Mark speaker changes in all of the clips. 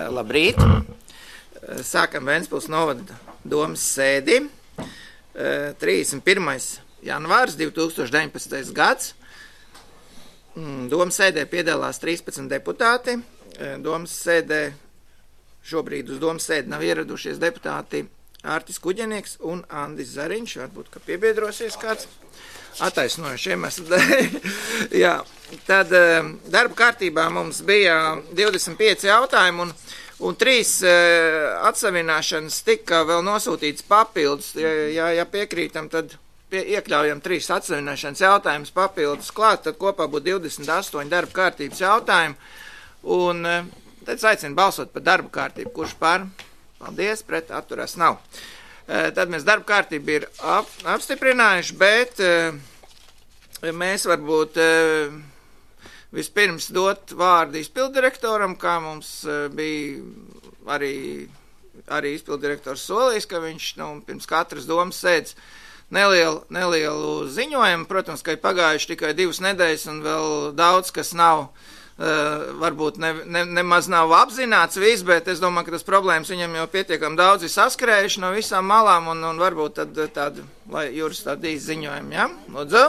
Speaker 1: Labrīt! Sākam Ventspils novada domas sēdi. 31. janvārs 2019. gads. Domas sēdē piedalās 13 deputāti. Domas sēdē šobrīd uz domas sēdi nav ieradušies deputāti Ārtis Kuģenieks un Andis Zariņš. Varbūt, ka piebiedrosies kāds. Attaisnojuši iemeslu dēļ. Jā, tad darba kārtībā mums bija 25 jautājumi un 3 atsavināšanas tika vēl nosūtīts papildus. Ja piekrītam, tad iekļaujam 3 atsavināšanas jautājumus papildus klāt, tad kopā būtu 28 darba kārtības jautājumi. Un tad aicinu balsot par darba kārtību. Kurš par? Paldies, pret atturās nav. Tad mēs darba kārtību ir apstiprinājuši, bet mēs varbūt vispirms dot vārdu izpildirektoram, kā mums bija arī izpildirektors solījis, ka viņš pirms katras domas sēdz nelielu ziņojumu. Protams, ka ir pagājuši tikai 2 nedēļas un vēl daudz, kas nav. Varbūt nemaz nav apzināts viss, bet es domāju, ka tas problēmas viņam jau pietiekam daudz ir saskrējuši no visām malām un varbūt tad tādu, lai Juris tādu īsti ziņojumu, ja? Lūdzu.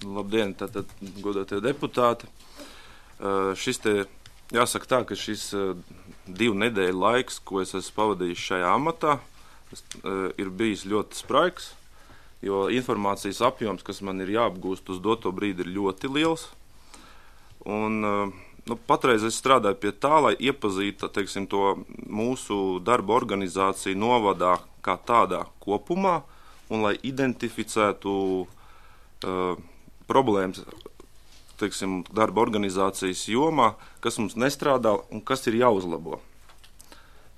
Speaker 2: Labdien, tātad godātie deputāti. Šis te, jāsaka tā, ka šis 2 nedēļu laiks, ko es esmu pavadījis šajā amatā, ir bijis ļoti spraigs. Jo informācijas apjoms, kas man ir jāapgūst uz doto brīdi, ir ļoti liels. Un patreiz es strādāju pie tā, lai iepazītu, teiksim, to mūsu darba organizāciju novadā kā tādā kopumā un lai identificētu problēmas, teiksim, darba organizācijas jomā, kas mums nestrādā un kas ir jāuzlabo.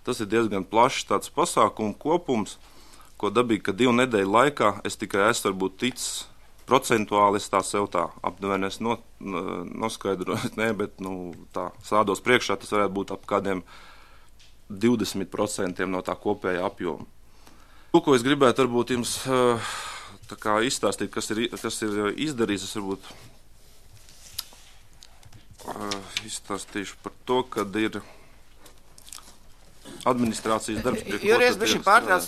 Speaker 2: Tas ir diezgan plašs tāds pasākumu kopums, ko dabīgi, ka 2 nedēļu laikā es tikai esmu varbūt ticis procentuāli, es tā sev tā aptuveni es noskaidroju, bet tā sādos priekšā tas varētu būt ap kādiem 20% no tā kopējā apjoma. To, ko es gribētu varbūt jums tā kā izstāstīt, kas ir izdarīts, es varbūt izstāstīšu par to, kad ir administrācijas darbs.
Speaker 1: Juries, bišķi pārtrauc,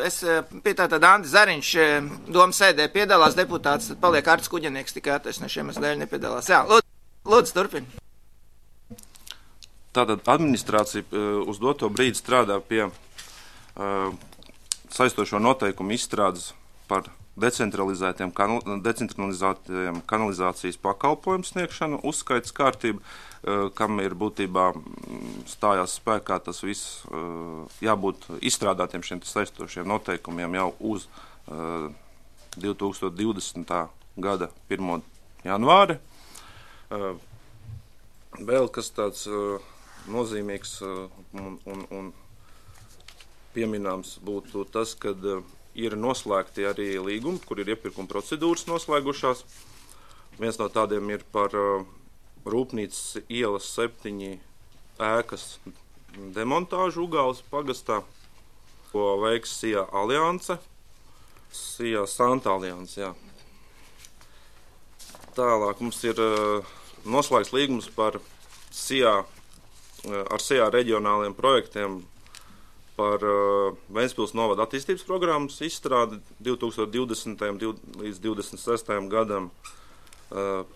Speaker 1: es pie tātad Andis Zariņš domas sēdē piedalās deputāts, tad paliek Ārtis Kuģenieks, tikai attaisnošiem dēļ nepiedalās. Jā, lūdzu, turpin.
Speaker 2: Tātad administrācija uz doto brīdi strādā pie saistošo noteikumu izstrādes par decentralizētiem kanalizācijas pakalpojumu sniegšanu, uzskaits kārtību, kam ir būtībā stājās spēkā tas viss jābūt izstrādātiem šiem saistošiem noteikumiem jau uz 2020. Gada 1. janvāri. Vēl kas tāds nozīmīgs un pieminams būtu tas, kad ir noslēgti arī līgumi, kur ir iepirkuma procedūras noslēgušās. Viens no tādiem ir par Rūpnīcas ielas 7 ēkas demontāžu Ugāles pagastā, ko veiks SIA Alianse, SIA Santa Alianse, jā. Tālāk mums ir noslēgts līgums par ar SIA reģionāliem projektiem par Ventspils novada attīstības programmas izstrādi 2020. līdz 2026. gadam.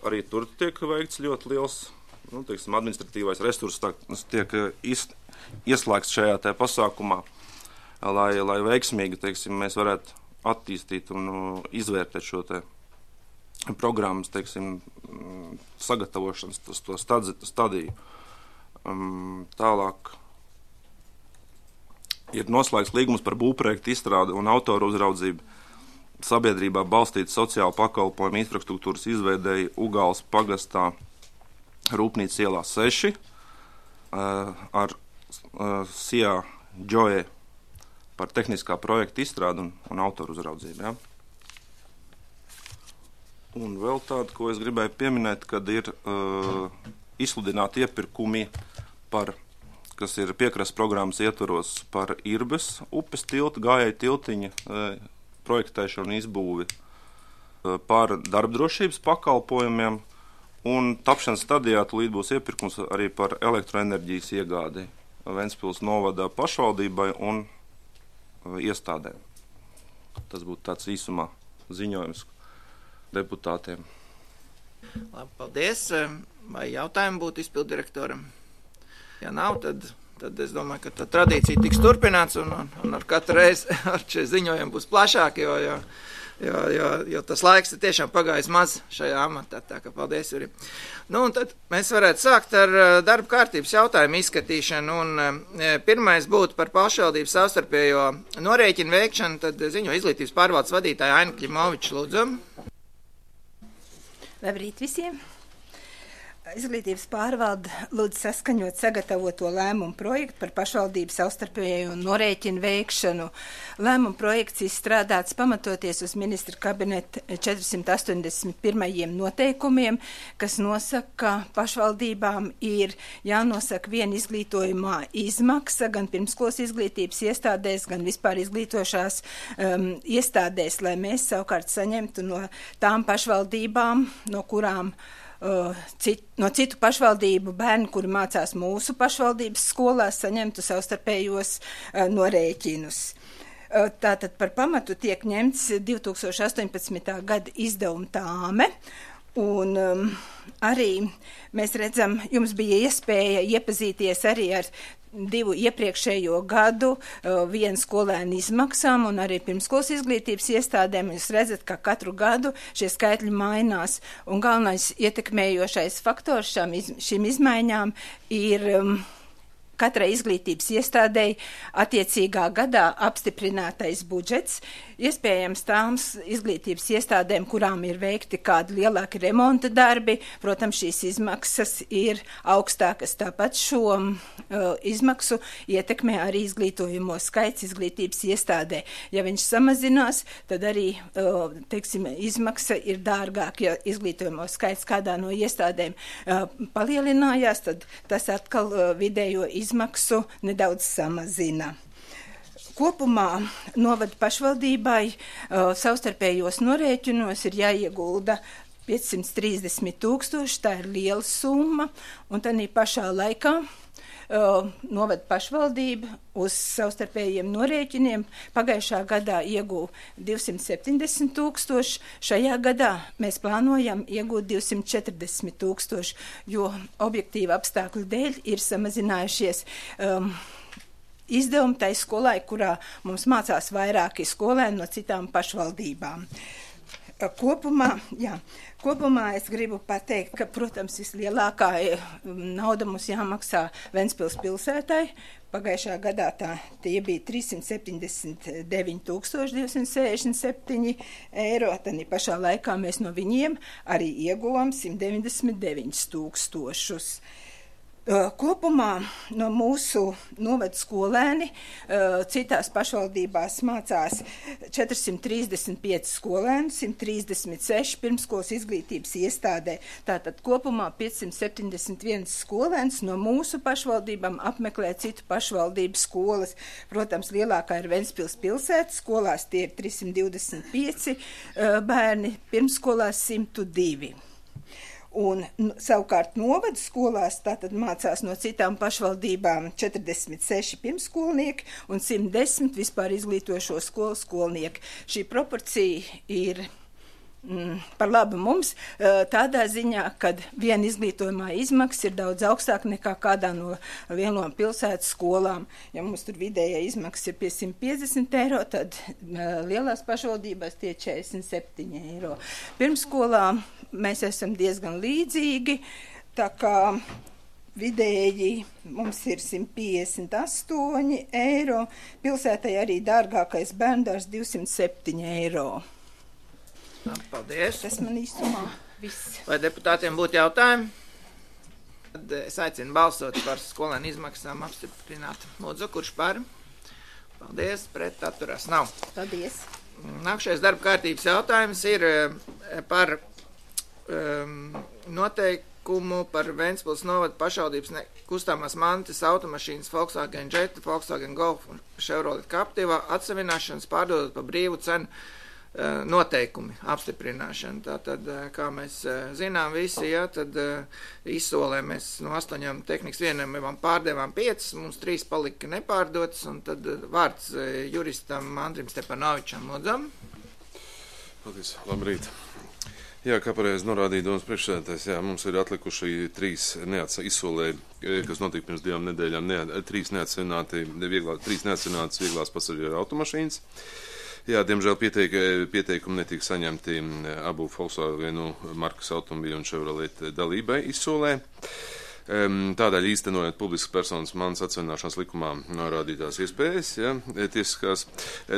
Speaker 2: Arī tur tiek veikts ļoti liels, teiksim, administratīvais resurss tiek ieslēgts šajā te pasākumā, lai veiksmīgi, teiksim, mēs varētu attīstīt un izvērtēt šo te programmas, teiksim, sagatavošanas to stadiju. Tālāk ir noslēgts līgums par būvprojektu izstrādi un autoru uzraudzību sabiedrībā balstīt sociālu pakalpojumu infrastruktūras izveidēji Ugāles pagastā Rūpnīcas ielā 6 ar SIA Joe par tehniskā projekta izstrādi un autoru uzraudzību. Ja? Un vēl tādu, ko es gribēju pieminēt, kad ir izsludināti iepirkumi kas ir piekrastes programmas ietvaros par Irbes upes tiltu, gājēju tiltiņa projektēšanu un izbūvi, par darbdrošības pakalpojumiem Un tapšanas stadijā tūlīt būs iepirkums arī par elektroenerģijas iegādi Ventspils novada pašvaldībai un iestādēm. Tas būtu tāds īsumā ziņojums deputātiem.
Speaker 1: Labi, paldies. Vai jautājumi būtu izpildirektoram? Ja nav, tad es domāju, ka tā tradīcija tiks turpināts un ar katru reizi ar šie ziņojumi būs plašāki, jo tas laiks ir tiešām pagājis maz šajā amatā, tā ka paldies, Juri. Nu, un tad mēs varētu sākt ar darba kārtības jautājumu izskatīšanu, un pirmais būtu par pašvaldības savstarpējo norēķinu veikšanu, tad ziņo izglītības pārvaldes vadītāja Aina Klimoviča, lūdzu.
Speaker 3: Labrīt visiem! Izglītības pārvalde lūdz saskaņot sagatavoto lēmumu projektu par pašvaldību savstarpējo norēķinu veikšanu. Lēmumu projekts izstrādāts pamatoties uz ministra kabineta 481. noteikumiem, kas nosaka, ka pašvaldībām ir jānosaka viena izglītojumā izmaksa gan pirmskolas izglītības iestādēs, gan vispār izglītošās iestādēs, lai mēs savukārt saņemtu no tām pašvaldībām, no kurām no citu pašvaldību bērni, kuri mācās mūsu pašvaldības skolās, saņemtu savstarpējos norēķinus. Tātad par pamatu tiek ņemts 2018. gada izdevuma tāme, un arī mēs redzam, jums bija iespēja iepazīties arī ar 2 iepriekšējo gadu vienu skolēnu izmaksām un arī pirmskolas izglītības iestādēm. Jūs redzat, ka katru gadu šie skaitļi mainās, un galvenais ietekmējošais faktors šīm izmaiņām ir katrai izglītības iestādēji attiecīgā gadā apstiprinātais budžets. Iespējams tāms izglītības iestādēm, kurām ir veikti kādi lielāki remonta darbi, protams, šīs izmaksas ir augstākas. Tāpat šo izmaksu ietekmē arī izglītojumu skaits izglītības iestādē. Ja viņš samazinās, tad arī, izmaksa ir dārgāk, ja izglītojumu skaits kādā no iestādēm palielinājās, tad tas atkal vidējo izmaksu nedaudz samazina. Kopumā novada pašvaldībai savstarpējos norēķinos ir jāiegulda 530 000, tā ir liela summa, un tādā pašā laikā novada pašvaldība uz savstarpējiem norēķiniem pagājušā gadā iegūta 270 000, šajā gadā mēs plānojam iegūt 240 000, jo objektīva apstākļu dēļ ir samazinājušies izdevumi tai skolai, kurā mums mācās vairāki skolēni no citām pašvaldībām. Kopumā es gribu pateikt, ka, protams, vislielākā nauda mums jāmaksā Ventspils pilsētai. Pagājušā gadā tie bija 379 267 eiro, tad pašā laikā mēs no viņiem arī ieguvām 199 000. Kopumā no mūsu novada skolēni citās pašvaldībās mācās 435 skolēni, 136 pirmskolas izglītības iestādē. Tātad kopumā 571 skolēns no mūsu pašvaldībām apmeklē citu pašvaldību skolas. Protams, lielākā ir Ventspils pilsētas skolās, tie ir 325 bērni, pirmskolās 102. Un savukārt novada skolās tātad mācās no citām pašvaldībām 46 pirmskolnieki un 110 vispār izglītojošo skolu skolnieki. Šī proporcija ir par labu mums tādā ziņā, kad viena izglītojumā izmaksa ir daudz augstāka nekā kādā no lielām pilsētas skolām. Ja mums tur vidējā izmaksa ir pie 150 eiro, tad lielās pašvaldībās tie 47 eiro. Pirmskolā mēs esam diezgan līdzīgi, tā kā vidēji mums ir 158 eiro, pilsētai arī dārgākais bērndārs 207 eiro.
Speaker 1: Paldies.
Speaker 3: Tas man īstumā viss.
Speaker 1: Vai deputātiem būtu jautājumi? Tad es aicinu balsot par skolēnu izmaksām apstiprināt. Lūdzu, kurš par? Paldies, pret atturās nav.
Speaker 3: Paldies.
Speaker 1: Nākšais darba kārtības jautājums ir par noteikumu par Ventspils novada pašvaldības kustāmās mantas automašīnas Volkswagen Jetta, Volkswagen Golf un Chevrolet Captiva atsavināšanas pārdodot pa brīvu cenu noteikumi apstiprināšana. Tātad, kā mēs zinām visi, ja, tad izsolē mēs no 8 tehnikas vienībām pārdevām 5, mums 3 palika nepārdotas, un tad vārds juristam Andrim Stepanovičam Lodzam.
Speaker 4: Paldies, labrīt. Jā, kā pareizi norādīja domas priekšsēdētājs, jā, mums ir atlikuši 3 izsolē, kas notika pirms 2 nedēļām, 3 neatsinātas vieglās pasažieru automašīnas. Jā, diemžēl pieteikumi netika saņemti abu Volkswagenu markas automobīļu un Chevrolet dalībai izsolē. Tādēļ īstenojot publiskas personas manas atsevināšanas likumā norādītās iespējas, ja, tiesiskās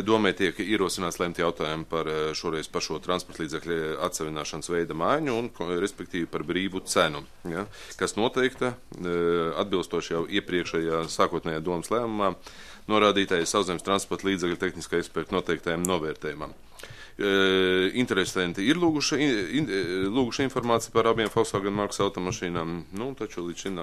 Speaker 4: domē tiek ierosināts lemt jautājumu par šoreiz pašo transporta līdzekļu atsevināšanas veida maiņu un, respektīvi, par brīvu cenu, ja, kas noteikta atbilstoši jau iepriekšējā sākotnējā domas lēmumā norādītajai Sauszemes transporta līdzekļu tehniskā eksperta noteiktajam novērtējumam. Interesanti ir lūguši informāciju par abiem Volkswagen markas automašīnām, taču līdz šim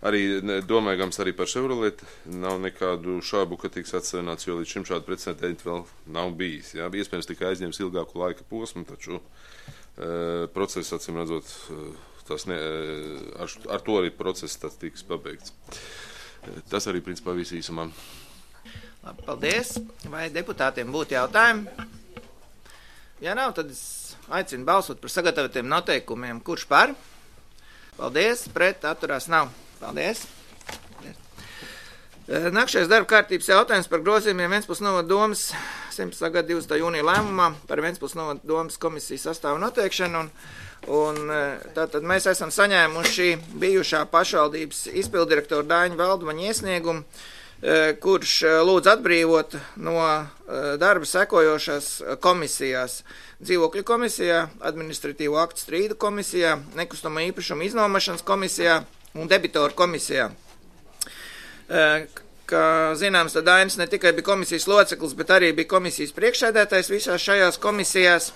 Speaker 4: arī domājams arī par Chevrolet nav nekādu šābu, ka tiks atsevināts, jo līdz šim šādu precedenti vēl nav bijis. Jā, iespējams tikai aizņems ilgāku laika posmu, taču process, acīm redzot, ar to arī process tas tiks pabeigts. Tas arī principā viss īsumā.
Speaker 1: Labi, paldies. Vai deputātiem būtu jautājumi? Ja nav, tad es aicinu balsot par sagatavotiem noteikumiem. Kurš par? Paldies. Pret atturās nav. Paldies. Nākšais darba kārtības jautājums par grozījumiem Ventspils novada domas 17. gada 20. jūnija lēmumā par Ventspils novada domas komisijas sastāvu noteikšanu. Un tātad mēs esam saņēmuši bijušā pašvaldības izpildirektora Daiņa Valdmaņa iesniegumu, kurš lūdz atbrīvot no darba sekojošās komisijās: dzīvokļu komisijā, administratīvo aktu strīdu komisijā, nekustamo īpašumu iznomašanas komisijā un debitoru komisijā. Kā zināms, tad Dainis ne tikai bija komisijas loceklis, bet arī bija komisijas priekšsēdētājs visās šajās komisijās.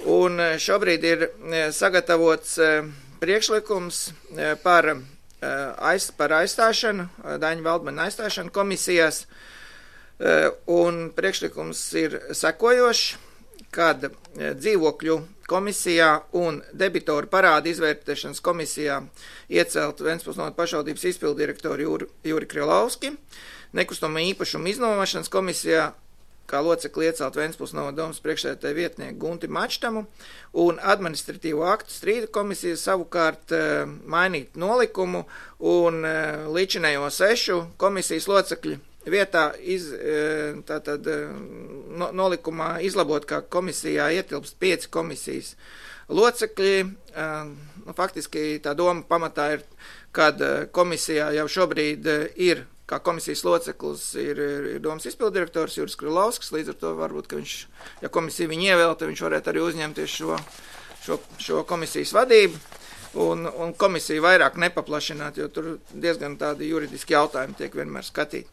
Speaker 1: Un šobrīd ir sagatavots priekšlikums par aizstāšanu, Daiņa Valdmaņa aizstāšanu komisijās, un priekšlikums ir sekojošs, kad dzīvokļu komisijā un debitoru parādu izvērtēšanas komisijā iecelt Ventspils novada pašvaldības izpildirektoru Juri Krilovski, nekustamo īpašumu iznomašanas komisijā kā locekli iecelt Ventspils novada domas priekšsēdētāja vietnieku Gunti Mačtamu, un administratīvo aktu strīdu komisiju savukārt mainīt nolikumu un līdzinējo 6 komisijas locekļu vietā nolikumā izlabot, ka komisijā ietilpst 5 komisijas locekļi. Faktiski tā doma pamatā ir, kad komisijā jau šobrīd ir kā komisijas loceklis ir domas izpildirektors Juris Krilovskis, līdz ar to varbūt, ka viņš, ja komisija viņu ievēlta, viņš varētu arī uzņemties šo komisijas vadību un komisiju vairāk nepaplašināt, jo tur diezgan tādi juridiski jautājumi tiek vienmēr skatīti.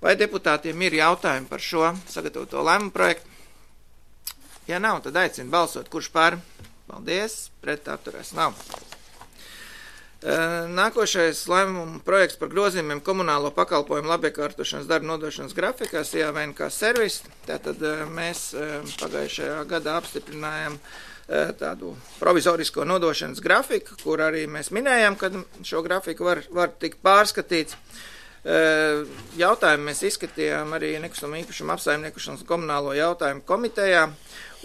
Speaker 1: Vai deputātiem ir jautājumi par šo sagatavoto lēmumu projektu? Ja nav, tad aicinu balsot, kurš par? Paldies, pret atturēs nav. Nākošais lēmuma projekts par grozījumiem komunālo pakalpojumu labiekārtošanas darba nodošanas grafikā CVNK servis. Tātad mēs pagājušajā gadā apstiprinājām tādu provizorisko nodošanas grafiku, kur arī mēs minējām, ka šo grafiku var tikt pārskatīts. Jautājumu mēs izskatījām arī nekustamo īpašumu apsaimniekošanas komunālo jautājumu komitejā,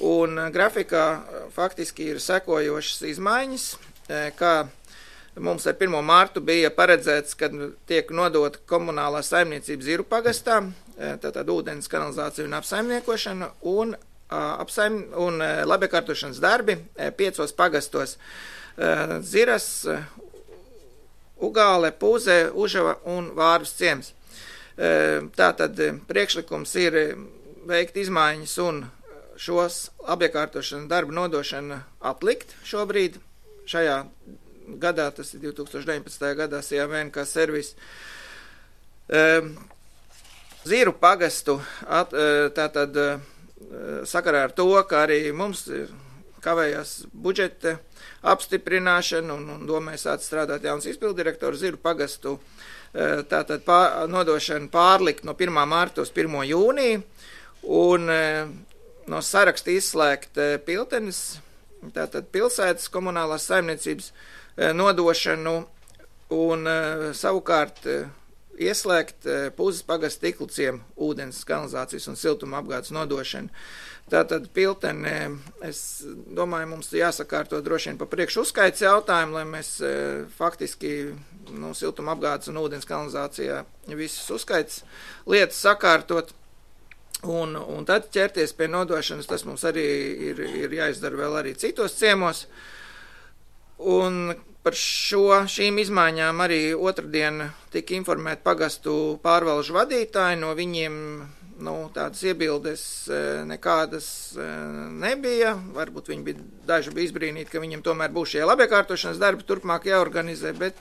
Speaker 1: un grafikā faktiski ir sekojošas izmaiņas, kā mums ar 1. martu bija paredzēts, kad tiek nodota komunālā saimniecība Ziru pagastā, tātad ūdens kanalizācija un apsaimniekošana, un labiekārtošanas darbi 5 pagastos Ziras, Ugāle, Pūze, Užava un Vārvas ciems. Tātad priekšlikums ir veikt izmaiņas un šos labiekārtošanas darbu nodošanu atlikt šobrīd šajā gadā, tas ir 2019. gadā CVNK servis. Ziru pagastu tātad sakarā ar to, ka arī mums kavējās budžeta apstiprināšana un domāju sāc strādāt jauns izpildirektors Ziru pagastu tātad nodošana pārlikt no 1. marta uz 1. jūniju un no saraksta izslēgt Piltenes, tātad pilsētas komunālās saimniecības nodošanu un savukārt ieslēgt Puzes pagasta Tikliciem ūdens, kanalizācijas un siltuma apgādes nodošanu. Tātad Piltene, es domāju, mums jāsakārto droši vien pa priekšu uzskaits jautājumu, lai mēs faktiski siltuma apgādes un ūdens kanalizācijā visas uzskaits lietas sakārtot. Un tad ķerties pie nodošanas, tas mums arī ir jāizdara vēl arī citos ciemos. Un par šīm izmaiņām arī otrdien tika informēti pagastu pārvalžu vadītāji, no viņiem tādas iebildes nekādas nebija. Varbūt viņi daži bija izbrīnīti, ka viņiem tomēr būs šie labiekārtošanas darbi turpmāk jāorganizē, bet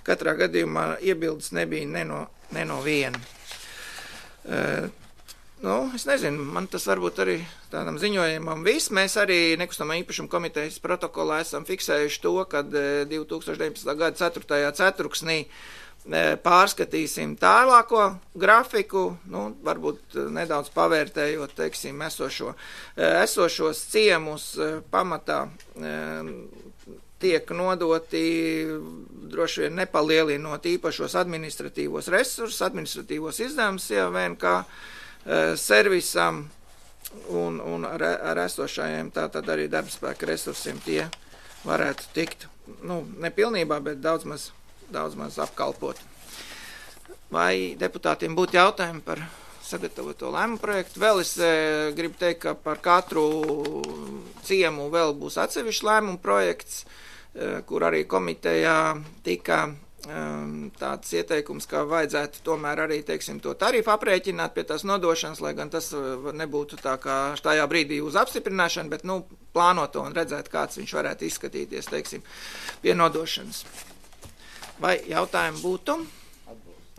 Speaker 1: katrā gadījumā iebildes nebija ne no viena. Es nezinu, man tas varbūt arī tādam ziņojumam viss. Mēs arī nekustamā īpašuma komitejas protokolā esam fiksējuši to, kad 2019. gada 4. ceturksnī pārskatīsim tālāko grafiku, varbūt nedaudz pavērtējot, teiksim, esošos ciemus pamatā tiek nodoti droši vien nepalielinot īpašos administratīvos resursus, administratīvos izdevumus, ja vien kā servisam un ar esošajiem tātad arī darbspēka resursiem tie varētu tikt, nepilnībā, bet daudz maz apkalpot. Vai deputātiem būtu jautājumi par sagatavoto lēmumu projektu? Vēl es gribu teikt, ka par katru ciemu vēl būs atsevišķs lēmumu projekts, kur arī komitejā tika tāds ieteikums, ka vajadzētu tomēr arī, teiksim, to tarifu aprēķināt pie tās nodošanas, lai gan tas nebūtu tā kā tajā brīdī uz apstiprināšanu, bet, plānot to un redzēt, kāds viņš varētu izskatīties, teiksim, pie nodošanas. Vai jautājumi būtu?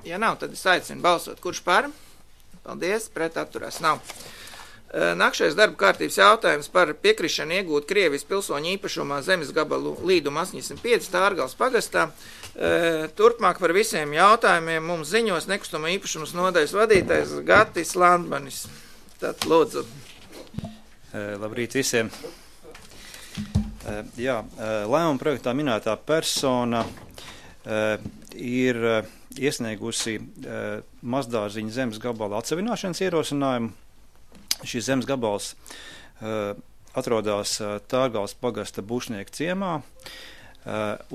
Speaker 1: Ja nav, tad es aicinu balsot. Kurš par? Paldies, pret atturās nav. Nākšais darba kārtības jautājums par piekrišanu iegūt Krievijas pilsoņu īpašumā zemes gabalu līduma 85 Tārgales pagastā. Turpmāk par visiem jautājumiem mums ziņos nekustamo īpašumas nodaļas vadītājs Gatis Landmanis. Tad lūdzu.
Speaker 5: Labrīt visiem. Lēmuma projektā minētā persona ir iesniegusi mazdārziņa zemes gabala atsevināšanas ierosinājumu. Šis zemes gabals atrodas Tārgales pagasta Bušnieka ciemā,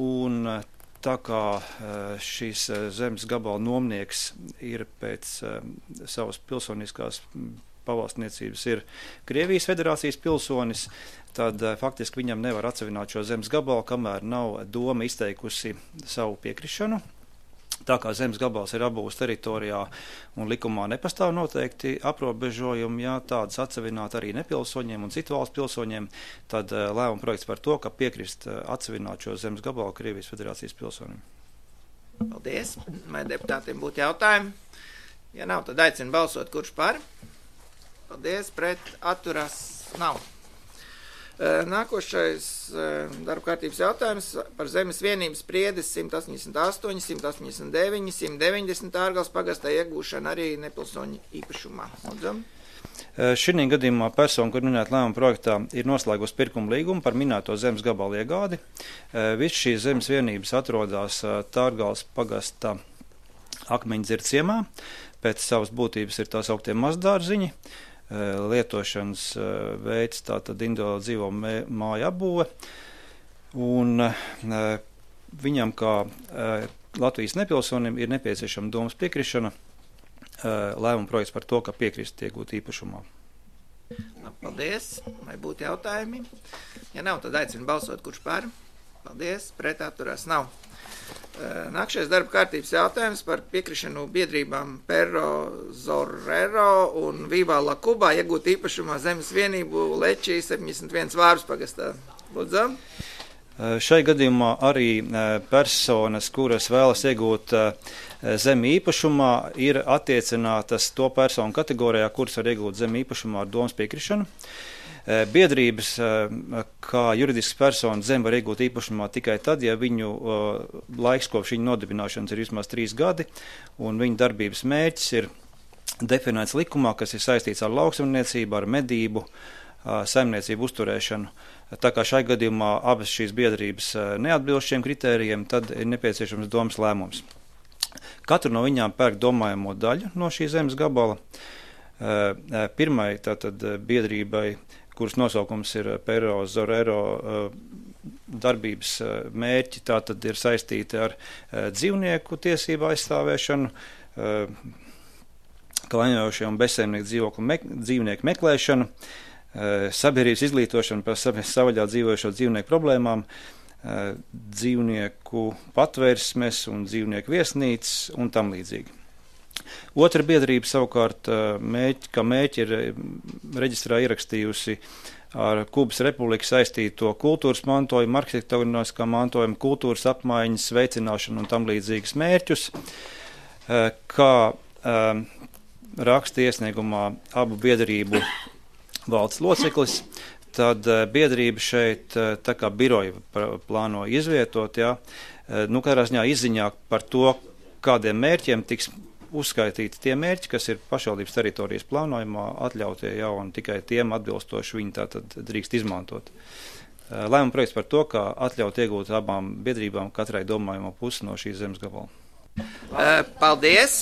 Speaker 5: un tā kā šis zemes gabala nomnieks ir pēc savas pilsoniskās pavalstniecības ir Krievijas federācijas pilsonis, tad faktiski viņam nevar atsevināt šo zemes gabalu, kamēr nav doma izteikusi savu piekrišanu. Tā kā zemes gabals ir abūs teritorijā un likumā nepastāv noteikti aprobežojumi, ja tādas atsevināt arī nepilsoņiem un citu valstu pilsoņiem, tad lēmuma projekts par to, ka piekrist atsevināt šo zemes gabalu Krievijas federācijas pilsonim.
Speaker 1: Paldies. Vai deputātiem būtu jautājumi? Ja nav, tad aicinu balsot, kurš par. Paldies, pret atturās nav. Nākošais darba kārtības jautājums par zemes vienības spriedes 188, 189, 190 Tārgales pagastā iegūšanu arī nepilsoņu īpašumā. Lūdzam.
Speaker 5: Šī gadījumā persona, kur minēta lēmuma projektā, ir noslēgusi pirkuma līgumu par minēto zemes gabalu iegādi. Viss šīs zemes vienības atrodas Tārgales pagasta Akmeņdzird ciemā. Pēc savas būtības ir tās augtie mazdārziņi. Lietošanas veids tātad individuāli dzīvo māju apbūve, un viņam kā Latvijas nepilsonim ir nepieciešama domas piekrišana, lēmuma projekts par to, ka piekrist iegūt īpašumā.
Speaker 1: Paldies. Vai būtu jautājumi? Ja nav, tad aicinu balsot, kurš par. Paldies. Pret atturās nav. Nākšais darba kārtības jautājums par piekrišanu biedrībām Perro Zorrero un Viva La Cuba iegūt īpašumā zemes vienību Lečī 71 Vārvas pagastā. Lūdzam.
Speaker 5: Šai gadījumā arī personas, kuras vēlas iegūt zemi īpašumā, ir attiecinātas to personu kategorijā, kuras var iegūt zemi īpašumā ar domas piekrišanu. Biedrības, kā juridisks personas zemi var iegūt īpašumā tikai tad, ja viņu laiks kopš viņa nodibināšanas ir vismaz 3 gadi, un viņa darbības mērķis ir definēts likumā, kas ir saistīts ar lauksaimniecību, ar medību, saimniecību uzturēšanu. Tā kā šai gadījumā abas šīs biedrības neatbilst šiem kritērijiem, tad ir nepieciešams domas lēmums. Katru no viņām pērk domājamo daļu no šī zemes gabala. Pirmai tātad biedrībai, kuras nosaukums ir Pero Zorero darbības mērķi, tātad ir saistīti ar dzīvnieku tiesību aizstāvēšanu, klaņojošiem un bezsaimnieku dzīvnieku meklēšanu, sabiedrības izglītošanu par savvaļā dzīvojošo dzīvnieku problēmām, dzīvnieku patvērsmes un dzīvnieku viesnīcas un tam līdzīgi. Otra biedrība savukārt mērķi ir reģistrā ierakstījusi ar Kubas republiku saistīto kultūras mantojumu, arhitektoniskā mantojuma, kultūras apmaiņas, veicināšanu un tam līdzīgas mērķus, kā raksta iesniegumā abu biedrību valdes loceklis, tad biedrība šeit tā kā biroju plāno izvietot, katrā ziņā izziņā par to, kādiem mērķiem tiks uzskaitīti tie mērķi, kas ir pašvaldības teritorijas plānojumā atļautie un tikai tiem atbilstoši viņi tātad drīkst izmantot. Lēmuma projekts par to, kā atļaut iegūt abām biedrībām katrai domājamo pusi no šīs zemes gabala.
Speaker 1: Paldies.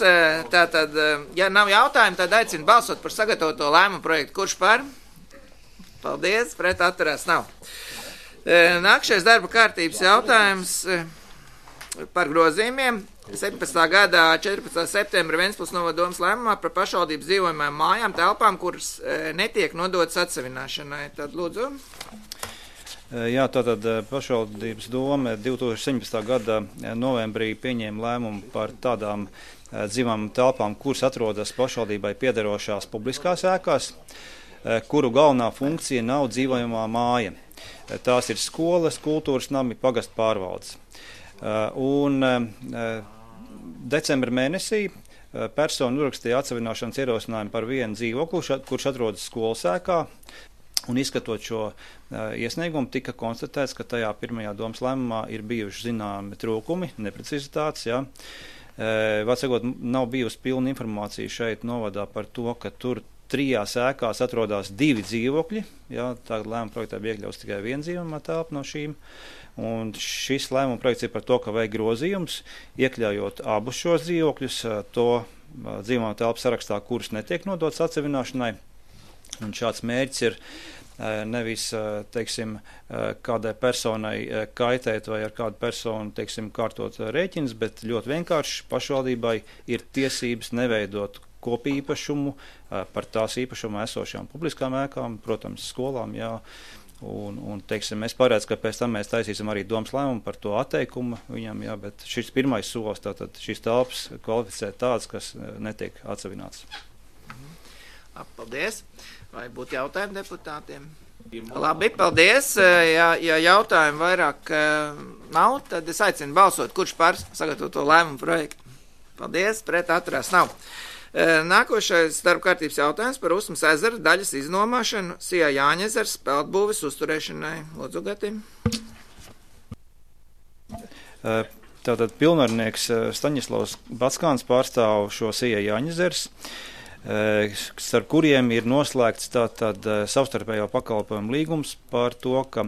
Speaker 1: Tātad, ja nav jautājumu, tad aicinu balsot par sagatavoto lēmumu projektu. Kurš par? Paldies, pret atturās nav. Nākšais darba kārtības jautājums par grozījumiem. 17. gadā 14. septembra Ventspils novada domas lēmumā par pašvaldības dzīvojamajām mājām, telpām, kuras netiek nodotas atsevināšanai. Tad lūdzu.
Speaker 5: Jā, tātad pašvaldības doma 2017. gada novembrī pieņēma lēmumu par tādām dzīvām telpām, kuras atrodas pašvaldībai piederošās publiskās ēkās, kuru galvenā funkcija nav dzīvojamā māja. Tās ir skolas, kultūras nami, pagastu pārvaldes. Un decembra mēnesī persona uzrakstīja atsevināšanas ierosinājumu par vienu dzīvokli, kurš atrodas skolas ēkā. Un izskatot šo iesniegumu, tika konstatēts, ka tajā pirmajā domas lēmumā ir bijuši zināmi trūkumi, neprecizitātes. Vārdsakot, nav bijusi pilna informācija šeit novadā par to, ka tur 3 ēkās atrodas 2 dzīvokļi. Tagad lēmuma projektā bija iekļauts tikai viena dzīvojamā telpa no šīm. Un šis lēmuma projekts ir par to, ka vajag grozījums, iekļaujot abus šos dzīvokļus, to dzīvojamā telpu sarakstā, kuras netiek nodotas atsevināšanai. Un šāds mērķis ir nevis, kādai personai kaitēt vai ar kādu personu, kārtot rēķins, bet ļoti vienkārši pašvaldībai ir tiesības neveidot kopīpašumu par tās īpašumā esošām publiskām ēkām, protams, skolām, Un, es paredzu, ka pēc tam mēs taisīsim arī domas lēmumu par to atteikumu viņam, bet šis pirmais solis, tātad šīs telpas kvalificē tādas, kas netiek atsevināts.
Speaker 1: Paldies. Vai būtu jautājumi deputātiem? Labi, paldies. Ja jautājumu vairāk nav, tad es aicinu balsot, kurš par sagatavoto lēmumu projektu. Paldies, pret atturās nav. Nākošais darba kārtības jautājums par Usmas ezera daļas iznomāšanu Sijā Jāņezers peldbūves uzturēšanai. Lūdzu, Gati.
Speaker 5: Tātad pilnvarnieks Staņislavs Batskāns pārstāv šo Sijā Jāņezers, starp kuriem ir noslēgts tātad savstarpējo pakalpojumu līgums par to, ka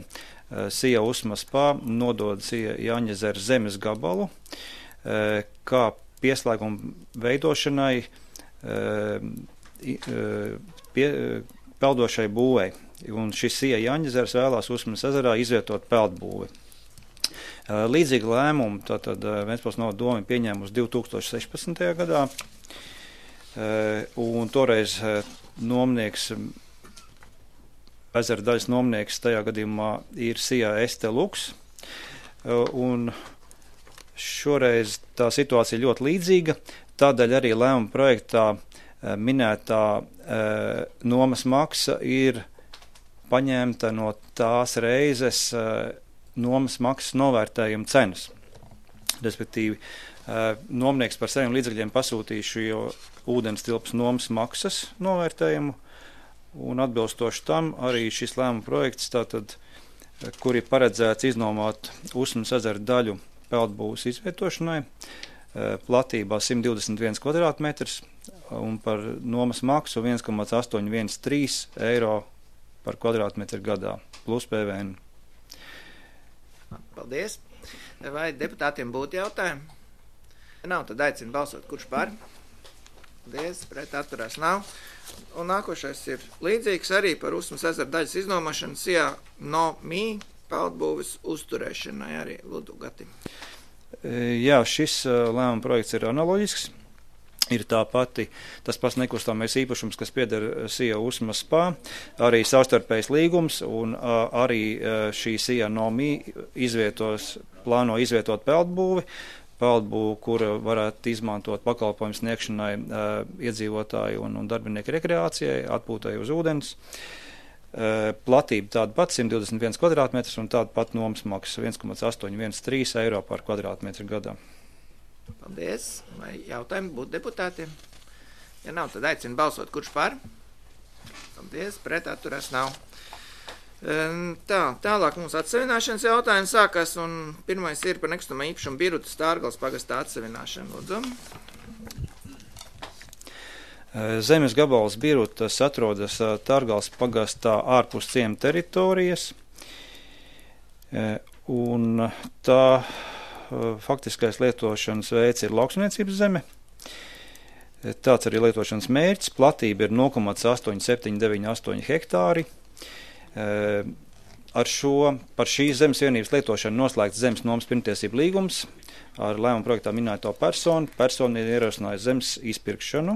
Speaker 5: Sijā Usmas pā nodod Sijā Jāņezera zemes gabalu, kā pieslēgumu veidošanai peldošai būvei. Un šis Sijā Jāņezers vēlās Usmas ezerā izvietot peldbūvi. Līdzīgi lēmumu tātad Ventspils novada doma pieņēmusi 2016. gadā. Un toreiz nomnieks, ezera daļas nomnieks tajā gadījumā ir Sijā Este Luks. Un šoreiz tā situācija ļoti līdzīga. Tādēļ arī lēmuma projektā minētā nomas maksa ir paņemta no tās reizes nomas maksas novērtējuma cenas. Respektīvi, nomnieks par saviem līdzekļiem pasūtīja šo ūdens tilpas nomas maksas novērtējumu, un atbilstoši tam arī šis lēmuma projekts, tātad, kur ir paredzēts iznomāt Usmas ezera daļu peldbūves izvietošanai, platībā 121 kvadrātmetrs un par nomas maksu 1,813 eiro par kvadrātmetru gadā, plus PVN.
Speaker 1: Paldies. Vai deputātiem būtu jautājumi? Ja nav, tad aicinu balsot, kurš par. Paldies, pret atturās nav. Un nākošais ir līdzīgs arī par Usmas ezera daļas iznomašanu SIA NOMI peldbūves uzturēšanai arī Lūdzu Gati.
Speaker 5: Jā, šis lēmuma projekts ir analoģisks. Ir tas pats nekustamais īpašums, kas pieder SIA Usmas spā, arī savstarpējs līgums un arī šī SIA NOMI plāno izvietot peldbūvi, kura varētu izmantot pakalpojumu sniegšanai iedzīvotāju un darbinieku rekreācijai, atpūtai uz ūdens. Platība tāda pat 121 kvadrātmetrs un tāda pat nomas maksa 1,813 eiro par kvadrātmetru gadā.
Speaker 1: Paldies. Vai jautājumi būtu deputātiem? Ja nav, tad aicinu balsot, kurš par. Paldies, pret atturās nav. Tālāk mums atsevināšanas jautājums sākās, un pirmais ir par nekustamā īpašuma Biruta Stārgales pagastā atsevināšanu. Lūdzu.
Speaker 5: Zemes gabals Birutas atrodas Stārgales pagastā ārpus ciema teritorijas, un tā faktiskais lietošanas veids ir lauksaimniecības zeme. Tāds arī lietošanas mērķis. Platība ir 0,8798 hektāri. Par šīs zemes vienības lietošanu noslēgts zemes nomas pirmtiesību līgums ar lēmuma projektā minēto personu. Persona ir ierosinājusi zemes izpirkšanu.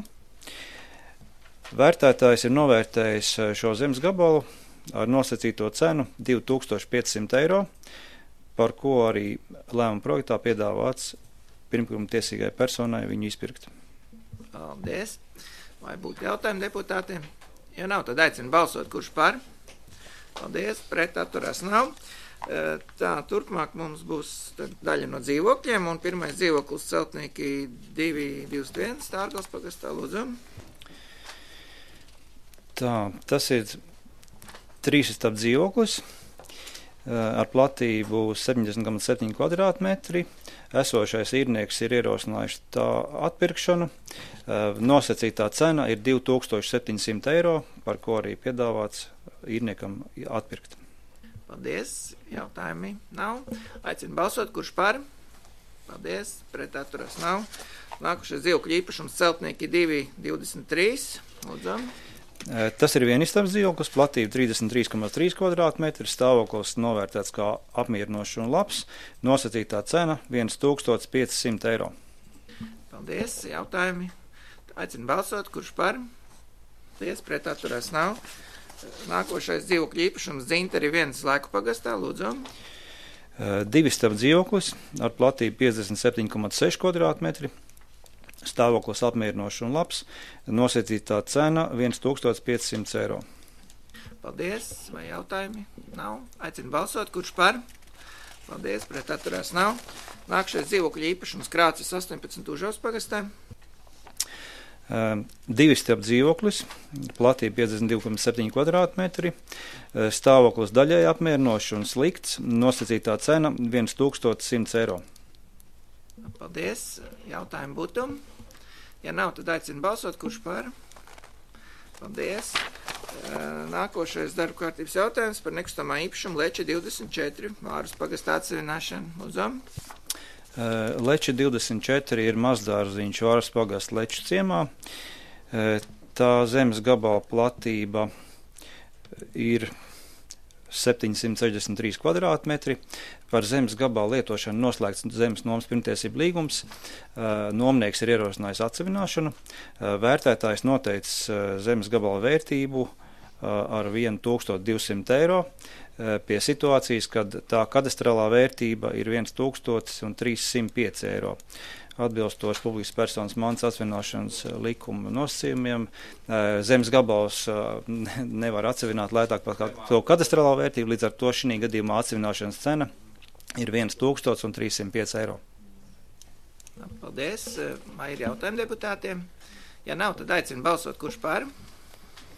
Speaker 5: Vērtētājs ir novērtējis šo zemes gabalu ar nosacīto cenu 2500 eiro, par ko arī lēmuma projektā piedāvāts pirmkuma tiesīgai personai viņu izpirkt.
Speaker 1: Paldies. Vai būtu jautājumi deputātiem? Ja nav, tad aicinu balsot, kurš par. Paldies, pret atturās nav. Turpmāk mums būs daļa no dzīvokļiem, un pirmais dzīvoklis Celtnieki 221 Stārgales pagastā, lūdzu.
Speaker 5: Tas ir 3 stāv dzīvoklis ar platību 70,7 kvadrātmetri. Esošais īrnieks ir ierosinājuši tā atpirkšanu. Nosacītā cena ir 2700 eiro, par ko arī piedāvāts īrniekam atpirkt.
Speaker 1: Paldies. Jautājumi nav. Aicinu balsot, kurš par. Paldies. Pret atturās nav. Nākušais dzīvokļu īpašums Celtnieki 223. Lūdzu.
Speaker 5: Tas ir vienistabs dzīvoklis, platība 33,3 kvadrātmetri, stāvoklis novērtēts kā apmierinošs un labs, nosacītā cena 1500 eiro.
Speaker 1: Paldies, jautājumi. Aicinu balsot, kurš par. Paldies, pret atturās nav. Nākošais dzīvokļu īpašums Dzinteri 1 Laiku pagastā, lūdzu.
Speaker 5: 2 stāv dzīvoklis ar platību 57,6 kvadrātmetri. Stāvoklis apmierinošs un labs, nosacītā cena 1500 eiro.
Speaker 1: Paldies, vai jautājumi? Nav. Aicinu balsot, kurš par. Paldies, pret atturās nav. Nākšais dzīvokļu īpašums Krācis 18 Užavas pagastā.
Speaker 5: 2 stāv dzīvoklis, platība 52,7 kvadrātmetri, stāvoklis daļai apmierinošs un slikts, nosacītā cena 1100 eiro.
Speaker 1: Paldies. Jautājumi būtu. Ja nav, tad aicinu balsot, kurš par. Paldies. Nākošais darba kārtības jautājums par nekustamā īpašumu Leča 24 Vārus pagastā atsevināšanu. Lūdzu.
Speaker 5: Leča 24 ir mazdārziņš Vārus pagasta Leču ciemā. Tā zemes gabala platība ir 763 kvadrātmetri. Par zemes gabalu lietošanu noslēgts zemes nomas pirmtiesību līgums. Nomnieks ir ierosinājis atsevināšanu. Vērtētājs noteicis zemes gabala vērtību ar 1200 eiro pie situācijas, kad tā kadastrālā vērtība ir 1305 eiro. Atbilstoši publiskas personas mantas atsevināšanas likuma nosacījumiem, zemes gabals nevar atsevināt lētāk par to kadastrālā vērtību, līdz ar to šī gadījumā atsevināšanas cena ir 1305 eiro.
Speaker 1: Paldies. Vai ir jautājumi deputātiem? Ja nav, tad aicinu balsot, kurš par.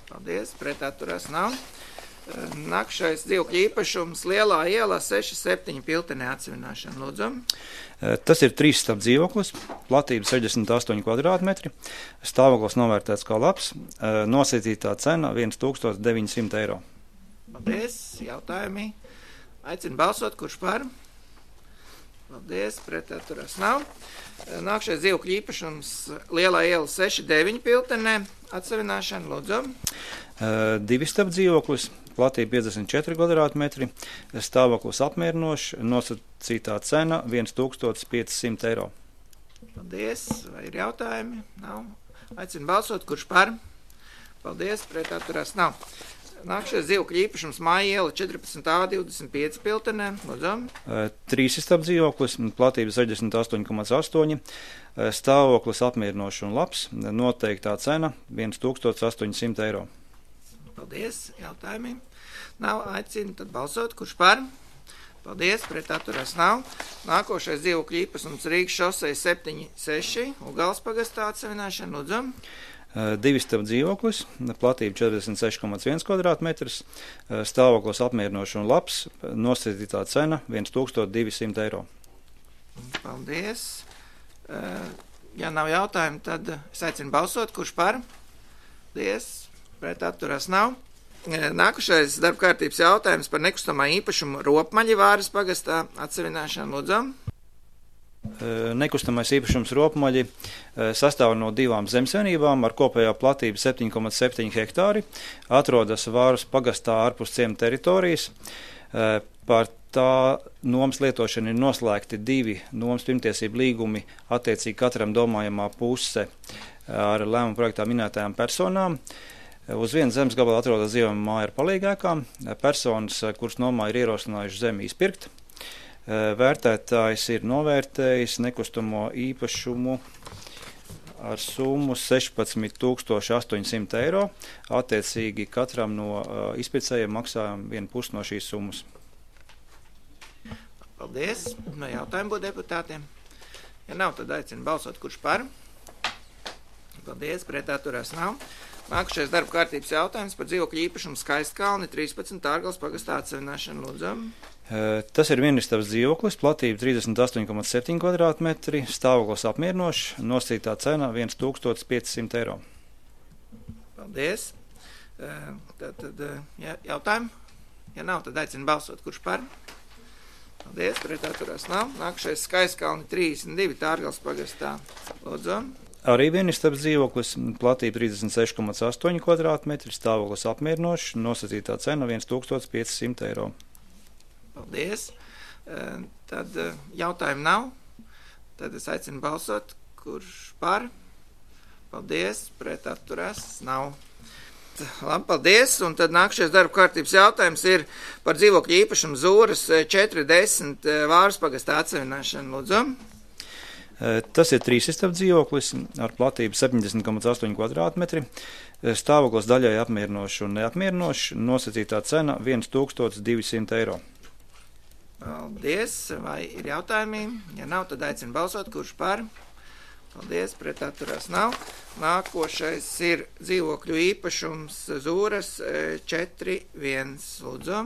Speaker 1: Paldies. Pret atturās nav. Nākamais dzīvokļu īpašums Lielā ielā 6-7 Piltenē atsevināšana. Lūdzu.
Speaker 5: Tas ir 3 stāvu dzīvoklis, platība 68 kvadrātmetri, stāvoklis novērtēts kā labs, nosacītā cena 1900 eiro.
Speaker 1: Paldies, jautājumi. Aicinu balsot, kurš par? Paldies, pret atturās nav. Nākamais dzīvokļu īpašums Lielā iela 6-9 Piltenē atsevināšana. Lūdzu.
Speaker 5: 2 stāvu dzīvoklis, platība 54 kvadrātmetri, stāvoklis apmierinošs, nosacītā cena 1500 eiro.
Speaker 1: Paldies, vai ir jautājumi? Nav. Aicinu balsot, kurš par? Paldies, pret atturās nav. Nākamais dzīvokļu īpašums Māja iela 14A25 Piltenē. Lūdzu.
Speaker 5: 3 stāvu dzīvoklis, platība 68,8, stāvoklis apmierinošs un labs, noteiktā cena 1800 eiro.
Speaker 1: Paldies, jautājumi. Nav, aicinu tad balsot, kurš par? Paldies, pret atturās nav. Nākošais dzīvokļu īpašums Rīgas šosei 7-6, Ugāles pagastā atsevināšana. Lūdzu.
Speaker 5: 2 stāvu dzīvoklis, platība 46,1 kvadrātmetrs, stāvoklis apmierinošs un labs, nosacītā cena 1200 eiro.
Speaker 1: Paldies. Ja nav jautājumu, tad es aicinu balsot, kurš par? Paldies. Pret atturās nav. Nākušais darbkārtības jautājums par nekustamā īpašumu Ropmaļi Vāras pagastā atsevināšanu. Lūdzu.
Speaker 5: Nekustamais īpašums Ropmaļi sastāv no 2 zemsaimniecībām ar kopējā platību 7,7 hektāri, atrodas Vāras pagastā ārpus ciema teritorijas. Par tā nomas lietošanu ir noslēgti 2 nomas pirmtiesību līgumi attiecīgi katram domājamā puse ar lēmumu projektā minētajām personām. Uz vienu zemes gabalu atrodas dzīvojama māja ar palīgēkām. Personas, kuras nomā ir ierosinājuši zemi izpirkt. Vērtētājs ir novērtējis nekustamo īpašumu ar summu 16 800 eiro. Attiecīgi katram no izpircējiem maksājam 1/2 no šīs summas.
Speaker 1: Paldies. No jautājumu būtu deputātiem. Ja nav, tad aicinu balsot, kurš par? Paldies, pret atturās nav. Nākušais darba kārtības jautājums par dzīvokļu īpašumu Skaistkalni 13 Ārgales pagastā atsevināšanu. Lūdzu.
Speaker 5: Tas ir vienistabas dzīvoklis, platība 38,7 kvadrātmetri, stāvoklis apmierinošs, nosacītā cena 1500 eiro.
Speaker 1: Paldies. Tad jautājumu? Ja nav, tad aicinu balsot, kurš par? Paldies, pret atturās nav. Nākušais Skaistkalni 32 Ārgales pagastā. Lūdzu.
Speaker 5: Arī vienistabas dzīvoklis, platība 36,8 kvadrātmetri, stāvoklis apmierinošs, nosacītā cena 1500 eiro.
Speaker 1: Paldies. Tad jautājumu nav. Tad es aicinu balsot, kurš par. Paldies, pret atturās nav. Labi, paldies. Un tad nākšais darba kārtības jautājums ir par dzīvokļu īpašumu Zūras 410 Vāras pagastā atsevināšanu. Lūdzu.
Speaker 5: Tas ir 3 istabu dzīvoklis ar platību 70,8 kvadrātmetri, stāvoklis daļai apmierinošs un neapmierinošs, nosacītā cena 1200 eiro.
Speaker 1: Paldies. Vai ir jautājumi? Ja nav, tad aicinu balsot, kurš par. Paldies, pret atturās nav. Nākošais ir dzīvokļu īpašums Zūras 4-1. Lūdzu.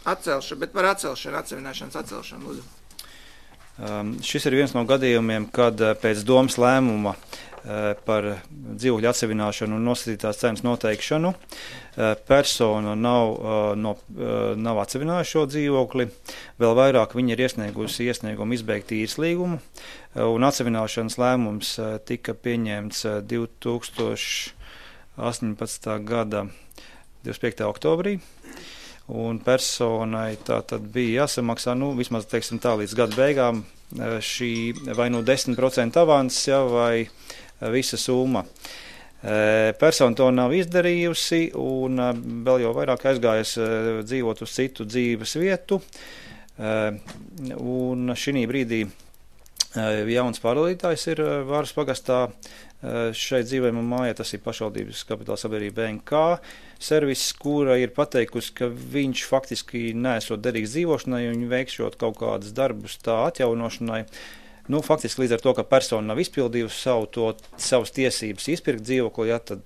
Speaker 1: Atcelšana, bet par atsevināšanas atcelšanu. Lūdzu.
Speaker 5: Šis ir viens no gadījumiem, kad pēc domas lēmuma par dzīvokļu atsevināšanu un nosacītās cenas noteikšanu persona nav atsevinājusi šo dzīvokli. Vēl vairāk viņa ir iesniegusi iesniegumu izbeigt īres līgumu, un atsevināšanas lēmums tika pieņemts 2018. gada 25. oktobrī. Un personai tā tad bija jāsamaksā, vismaz, teiksim tā, līdz gada beigām šī vai 10% avans, vai visa summa. Persona to nav izdarījusi un vēl jau vairāk aizgājas dzīvot uz citu dzīves vietu. Un šī brīdī jauns pārvaldītājs ir Vāras pagastā šeit dzīvojamā mājā, tas ir pašvaldības kapitāla sabiedrība BNK servis, kura ir pateikusi, ka viņš faktiski neesot derīgs dzīvošanai un veikšot kaut kādas darbus tā atjaunošanai. Faktiski līdz ar to, ka persona nav izpildījusi savas tiesības izpirkt dzīvokli, tad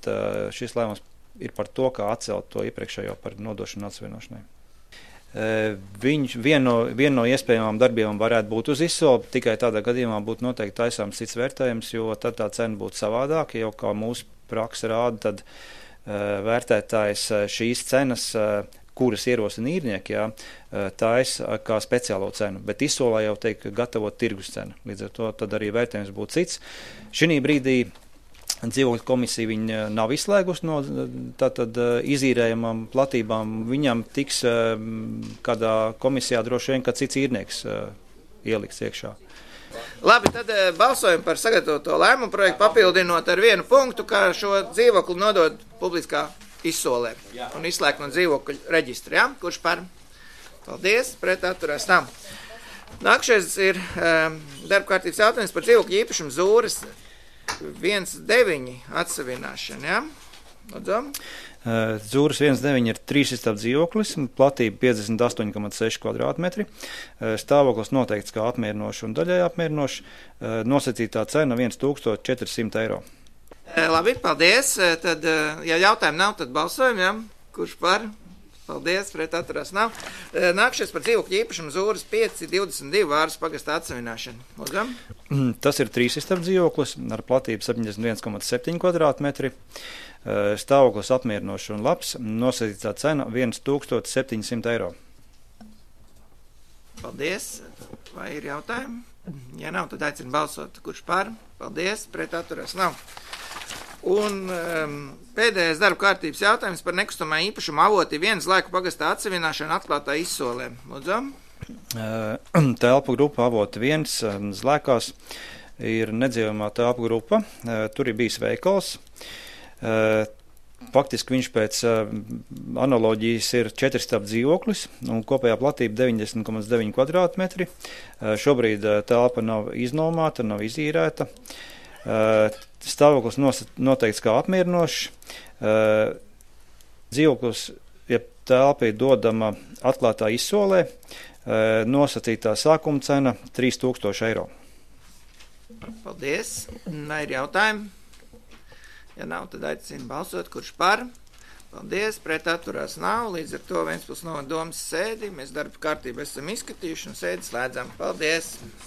Speaker 5: šis lēmums ir par to, kā atcelt to iepriekšējo par nodošanu atsevienošanai. Viena no iespējamām darbībām varētu būt uz izsoli, tikai tādā gadījumā būtu noteikti taisāms cits vērtējums, jo tad tā cena būtu savādāka, jo kā mūsu praksa rāda, tad vērtētājs šīs cenas, kuras ierosina īrnieki, taisa kā speciālo cenu, bet izsolā jau teik gatavot tirgus cenu. Līdz ar to tad arī vērtējums būtu cits. Šī brīdī dzīvokļu komisija viņa nav izslēgusi no tātad izīrējumām platībām. Viņam tiks kādā komisijā droši vien, kad cits īrnieks ieliks iekšā.
Speaker 1: Labi, tad balsojam par sagatavoto lēmumu projektu, papildinot ar vienu punktu, kā šo dzīvokli nodot publiskā izsolē un izslēgt no dzīvokļu reģistra. Ja? Kurš par? Paldies, pret atturās nav. Nākšais ir darba kārtības jautājums par dzīvokļu īpašumu Zūras 1.9 atsevināšana, ja? Lūdzu.
Speaker 5: Zūras 1.9 ir 3 istabs dzīvoklis, platība 58,6 kvadrātmetri, stāvoklis noteikts kā apmierinošs un daļai apmierinošs, nosacītā cena 1400 eiro.
Speaker 1: Labi, paldies. Tad, ja jautājumu nav, tad balsojam, ja? Kurš par? Paldies, pret atturās nav. Nākšies par dzīvokļu īpašumu Zūras 5.22 Vāras pagasta atsevināšanu. Lūdzam.
Speaker 5: Tas ir 3 istabs dzīvoklis ar platību 71,7 kvadrātmetri. Stāvoklis apmierinošs un labs. Nosacītā cena 1700 eiro.
Speaker 1: Paldies. Vai ir jautājumi? Ja nav, tad aicinu balsot. Kurš par? Paldies, pret atturās nav. Un pēdējais darba kārtības jautājums par nekustamā īpašuma avoti vienas laika pagastā atsevināšanu atklātā izsolē. Lūdzam.
Speaker 5: Telpu grupa avoti viens Zlēkās ir nedzīvamā telpu grupa. Tur ir bijis veikals. Faktiski viņš pēc analoģijas ir 4 istabs dzīvoklis un kopējā platība 90,9 kvadrātmetri. Šobrīd telpa nav iznomāta, nav izīrēta. Stāvoklis noteikts kā apmierinošs. Dzīvoklis, ja telpa ir dodama atklātā izsolē, nosacītā sākuma cena 3000 eiro.
Speaker 1: Paldies. Vai ir jautājumi? Ja nav, tad aicinu balsot, kurš par. Paldies, pret atturās nav. Līdz ar to Ventspils novada domas sēdi. Mēs darba kārtību esam izskatījuši un sēdi slēdzam. Paldies!